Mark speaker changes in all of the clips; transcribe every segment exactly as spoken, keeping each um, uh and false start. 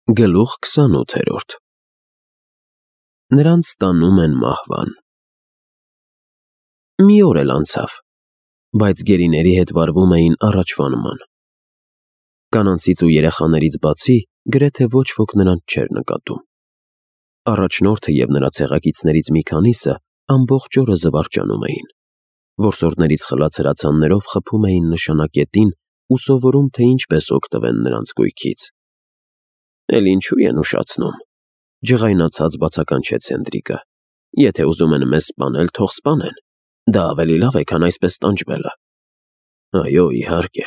Speaker 1: Գլուխ քսանութերորդ Նրանց տանում են մահվան։ Մի օր էլ անցավ, բայց գերիների հետ վարվում էին առաջվա նման։ Կանանցից ու երեխաներից բացի գրեթե ոչ ոք նրանց չէր նկատում։ Առաջնորդը և նրա ցեղակիցներից մի քանիսը ամբողջ օրը զվարճանում էին։ Որսորդներից խլած հրացաններով խփում էին նշանակետին ու սովորում, թե ինչպես օգտվեն նրանց գույքից։ Էլ ինչու են ուշացնում, ջղայնացած բացականչեց Հենդրիկը։ Եթե ուզում են մեզ սպանել, թող սպանեն, դա ավելի լավ է, քան այսպես տանջվելը։ Այո, իհարկե,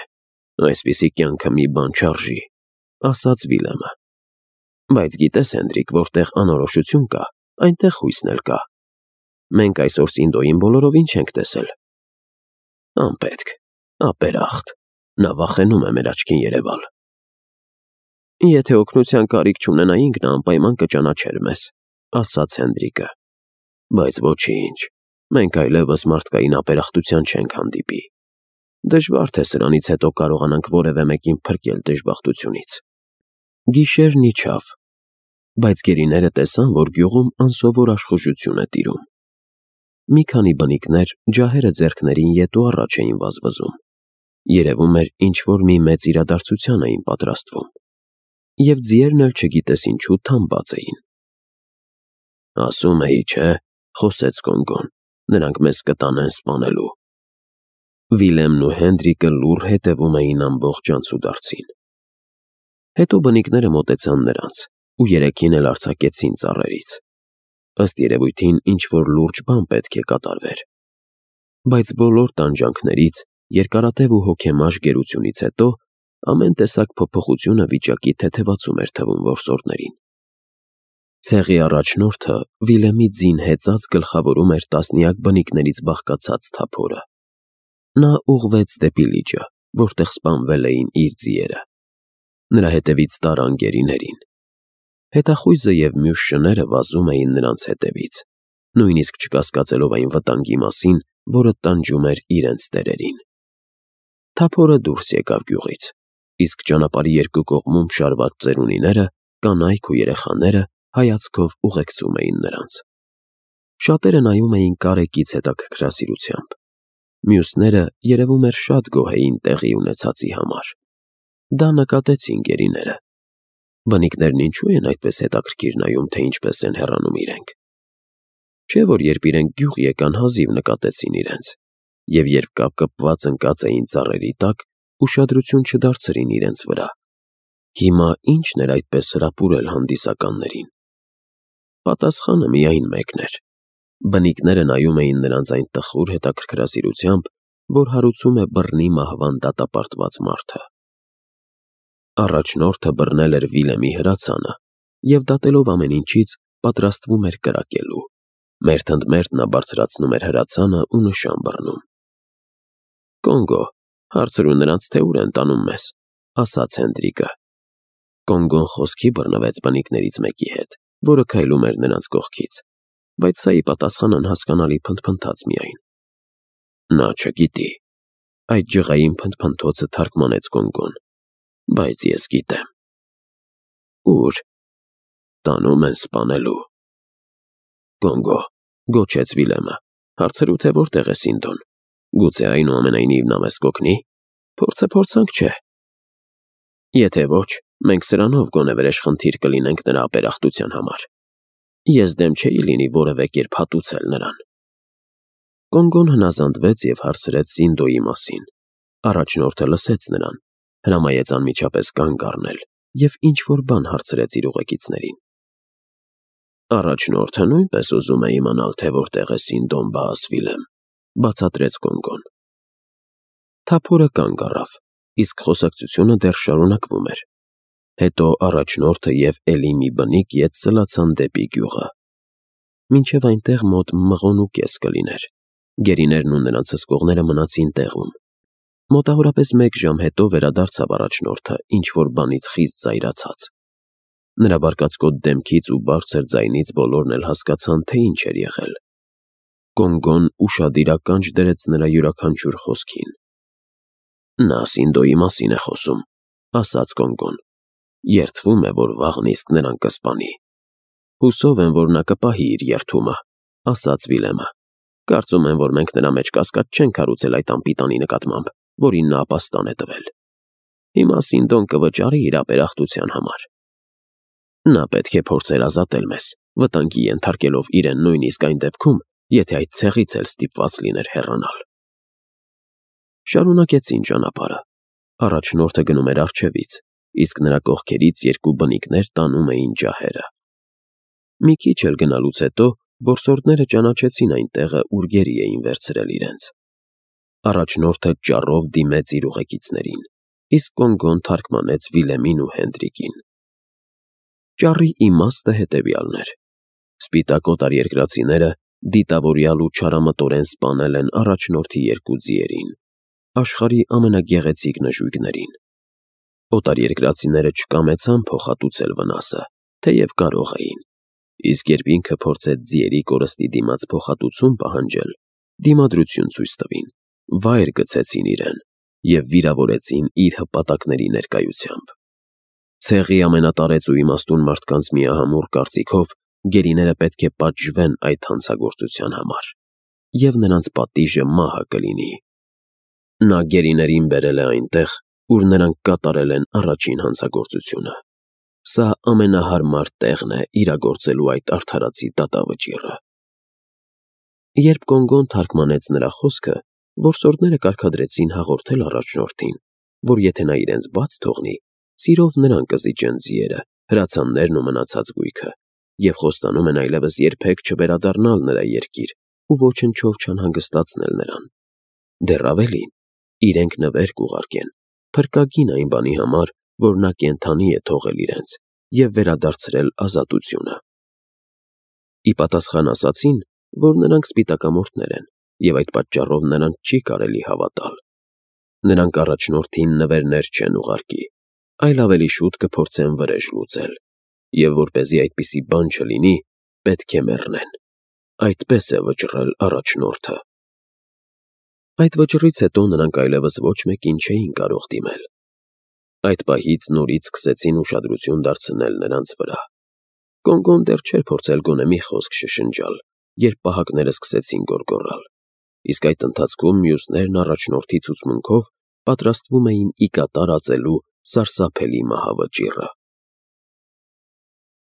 Speaker 1: այսպիսի կյանքը մի բան չարժի, ասաց Վիլեմը։ Բայց գիտես, Հենդրիկ, որտեղ անորոշություն կա, այնտեղ հույսն էլ կա։ Մենք այսօր Սինդոյին բոլորովին չենք տեսել։ Անպետք, ապերախտ, նա վախենում է մեր աչքին երևալ։ Եթե օգնության կարիք չունենայինք, նա անպայման կճանաչեր մեզ, ասաց Հենդրիկը։ Բայց ոչինչ, մենք այլևս մարդկային ապերախտության չենք հանդիպի։ Դժվար թե սրանից հետո կարողանանք որևէ մեկին փրկել դժբախտությունից։ Գիշերն իջավ, բայց գերիները տեսան, որ գյուղում անսովոր աշխուժություն է տիրում։ Մի քանի բնիկներ ջահերը ձեռքներին ետ ու առաջ էին վազվզում։ Երևում էր, ինչ-որ մի մեծ իրադարձության էին պատրաստվում։ Եվ ձիերն էլ չգիտես ինչու թամբած էին։ Ասում էի, չէ, խոսեց Կոնգոն, նրանք մեզ կտանեն սպանելու։ Վիլեմն ու Հենդրիկը լուռ հետևում էին ամբողջ անցուդարձին։ Հետո բնիկները մոտեցան նրանց ու երեքին էլ արձակեցին ծառերից։ Ըստ երևույթին ինչ-որ լուրջ բան պետք է կատարվեր։ Բայց բոլոր տանջանքներից, երկարատև ու հոգեմաշ գերությունից հետո ամեն տեսակ փոփոխությունը վիճակի թեթևացում էր թվում որսորդներին։ Ցեղի առաջնորդը Վիլեմի ձին հեծած գլխավորում էր տասնյակ բնիկներից բաղկացած թափորը։ Նա ուղղվեց դեպի լիճը, որտեղ սպանվել էին իր ձիերը։ Նրա հետևից տարան գերիներին։ Հետախույզը և մյուս շները վազում էին նրանց հետևից, նույնիսկ չկասկածելով այն վտանգի մասին, որը տանջում էր իրենց տերերին։ Թափորը դուրս եկավ գյուղից, իսկ ճանապարհի երկու կողմում շարված ծերունիները, կանայք ու երեխաները հայացքով ուղեկցում էին նրանց։ Շատերը նայում էին կարեկից հետաքրքրասիրությամբ։ Մյուսները, երևում էր, շատ գոհ էին տեղի ունեցածի համար։ Դա նկատեցին գերիները։ Բնիկներն ինչու են այդպես հետաքրքիր նայում, թե ինչպես են հեռանում իրենք։ Չէ՞ որ երբ իրենք գյուղ եկան, հազիվ նկատեցին իրենց, և երբ կապկպված ընկած էին ծառերի տակ, ուշադրություն չդարձրին իրենց վրա։ Հիմա ի՞նչն էր այդպես հրապուրել հանդիսականներին։ Պատասխանը միայն մեկն էր։ Բնիկները նայում էին նրանց այն տխուր հետաքրքրասիրությամբ, որ հարուցում է բռնի մահվան դատապարտված մարդը։ Առաջնորդը բռնել էր Վիլեմի հրացանը և, դատելով ամեն ինչից, պատրաստվում էր կրակելու։ Մերթ ընդ մերթ նա բարձրացնում էր հրացանը ու նշան բռնում։ Կոնգո, հարցրու նրանց, թե ուր են տանում մեզ, ասաց Հենդրիկը։ Կոնգոն խոսքի բռնվեց բնիկներից մեկի հետ, որը քայլում էր նրանց կողքից, բայց սա ի պատասխան անհասկանալի փնթփնթաց միայն։ Նա չգիտի, այդ ջղային փնթփնթոցը թարգմանեց Կոնգոն, բայց ես գիտեմ։ Ուր։ Տանում են սպանելու։ Կոնգո, գոչեց Վիլեմը, հարցրու, թե որտեղ է Սինդոն։ Գուցե այնուամենայնիվ նա մեզ կօգնի։ Փորձը փորձանք չէ։ Եթե ոչ, մենք սրանով գոնե վրեժխնդիր կլինենք նրա ապերախտության համար։ Ես դեմ չէի լինի որևէ կերպ հատուցել նրան։ Կոնգոն հնազանդվեց և հարցրեց Սինդոյի մասին։ Առաջնորդը լսեց նրան, հրամայեց անմիջապես կանգ առնել և ինչ-որ բան հարցրեց իր ուղեկիցներին։ Առաջնորդը նույնպես ուզում է իմանալ, թե որտեղ է Սինդոն, բա Վիլեմ, բացատրեց Կոնգոն։ Թափորը կանգ առավ, իսկ խոսակցությունը դեռ շարունակվում էր։ Հետո առաջնորդը և էլի մի բնիկ ետ սլացան դեպի գյուղը։ Մինչև այնտեղ մոտ մղոն ու կես կլիներ։ Գերիներն ու նրանց հսկողները մնացին տեղում։ Մոտավորապես մեկ ժամ հետո վերադարձավ առաջնորդը ինչ-որ բանից խիստ զայրացած։ Նրա բարկացկոտ դեմքից ու բարձր ձայնից բոլորն էլ հասկացան, թե ինչ էր եղել։ Կոնգոն ուշադիր ականջ դրեց նրա յուրաքանչյուր խոսքին։ Նա Սինդոյի մասին է խոսում, ասաց Կոնգոն։ երդվում է, որ վաղն իսկ նրան կսպանի։ Հուսով եմ, որ նա կպահի իր երդումը, ասաց Վիլեմը։ Կարծում եմ, որ մենք նրա մեջ կասկած չենք հարուցել այդ անպիտանի նկատմամբ, որին նա ապաստան է տվել։ Հիմա Սինդոն կվճարի իր ապերախտության համար։ Նա պետք է փորձեր ազատել մեզ, վտանգի ենթարկելով իրեն նույնիսկ այն դեպքում, եթե այդ ցեղից էլ ստիպված լիներ հեռանալ։ Շարունակեցին ճանապարհը։ Առաջնորդը գնում էր առջևից, իսկ նրա կողքերից երկու բնիկներ տանում էին ջահերը։ Մի քիչ էլ գնալուց հետո որսորդները ճանաչեցին այն տեղը, ուր գերի էին վերցրել իրենց։ Առաջնորդը ճառով դիմեց իր ուղեկիցներին, իսկ Կոնգոն թարգմանեց Վիլեմին ու Հենդրիկին։ Ճառի իմաստը հետևյալն էր. սպիտակ օտարերկրացիները դիտավորյալ ու չարամտորեն սպանել են առաջնորդի երկու ձիերին, աշխարհի ամենագեղեցիկ նժույգներին։ Օտարերկրացիները չկամեցան փոխհատուցել վնասը, թեև կարող էին, իսկ երբ ինքը փորձեց ձիերի կորստի դիմաց փոխհատուցում պահանջել, դիմադրություն ցույց տվին, վայր գցեցին իրեն և վիրավորեցին իր հպատակների ներկայությամբ։ Ցեղի ամենատարեց ու իմաստուն մարդկանց միահամուռ կարծիքով գերիները պետք է պատժվեն այդ հանցագործության համար, և նրանց պատիժը մահը կլինի։ Նա գերիներին բերել է այնտեղ, ուր նրանք կատարել են առաջին հանցագործությունը։ Սա ամենահարմար տեղն է իրագործելու այդ արդարացի դատավճիռը։ Երբ Կոնգոն թարգմանեց նրա խոսքը, որսորդները կարգադրեցին հաղորդել առաջնորդին, որ եթե նա իրենց բաց թողնի, սիրով նրան կզիջեն ձիերը, հրացաններն ու մնացած գույքը, և խոստանում են այլևս երբեք չվերադառնալ նրա երկիր ու ոչնչով չանհանգստացնել նրան։ Դեռ ավելին, իրենք նվեր կուղարկեն, փրկագին այն բանի համար, որ նա կենդանի է թողել իրենց և վերադարձրել ազատությունը։ Ի պատասխան ասացին, որ նրանք սպիտակամորթներ են, և այդ պատճառով նրանց չի կարելի հավատալ։ Նրանք առաջնորդին նվերներ չեն ուղարկի, այլ ավելի շուտ կփորձեն վրեժ լուծել, և որպեսզի այդպիսի բան չլինի, պետք է մեռնեն։ Այդպես է վճռել առաջնորդը։ Այդ վճռից հետո նրանք այլևս ոչ մեկին չէին կարող դիմել։ Այդ պահից նորից սկսեցին ուշադրություն դարձնել նրանց վրա։ Կոնգոն դեռ չէր փորձել գոնե մի խոսք շշնջալ, երբ պահակները սկսեցին գոռգոռալ, իսկ այդ ընթացքում մյուսներն առաջնորդի ցուցմունքով պատրաստվում էին ի կատար ածելու սարսափելի մահավճիռը։